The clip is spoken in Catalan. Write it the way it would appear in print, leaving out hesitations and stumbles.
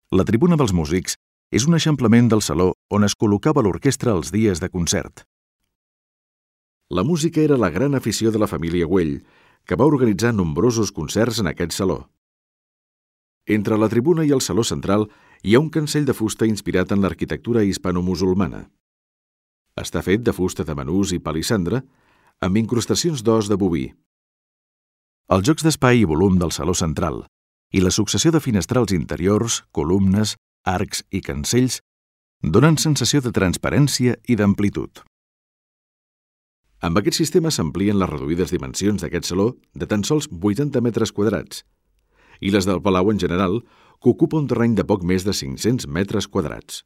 La tribuna dels músics és un eixamplament del saló on es col·locava l'orquestra els dies de concert. La música era la gran afició de la família Güell, que va organitzar nombrosos concerts en aquest saló. Entre la tribuna i el saló central hi ha un cancell de fusta inspirat en l'arquitectura hispano-musulmana. Està fet de fusta de manús i palissandre, amb incrustacions d'os de boví. Els jocs d'espai i volum del saló central i la successió de finestrals interiors, columnes, arcs i cancells donen sensació de transparència i d'amplitud. Amb aquest sistema s'amplien les reduïdes dimensions d'aquest saló de tan sols 80 metres quadrats i les del palau en general, que ocupa un terreny de poc més de 500 metres quadrats.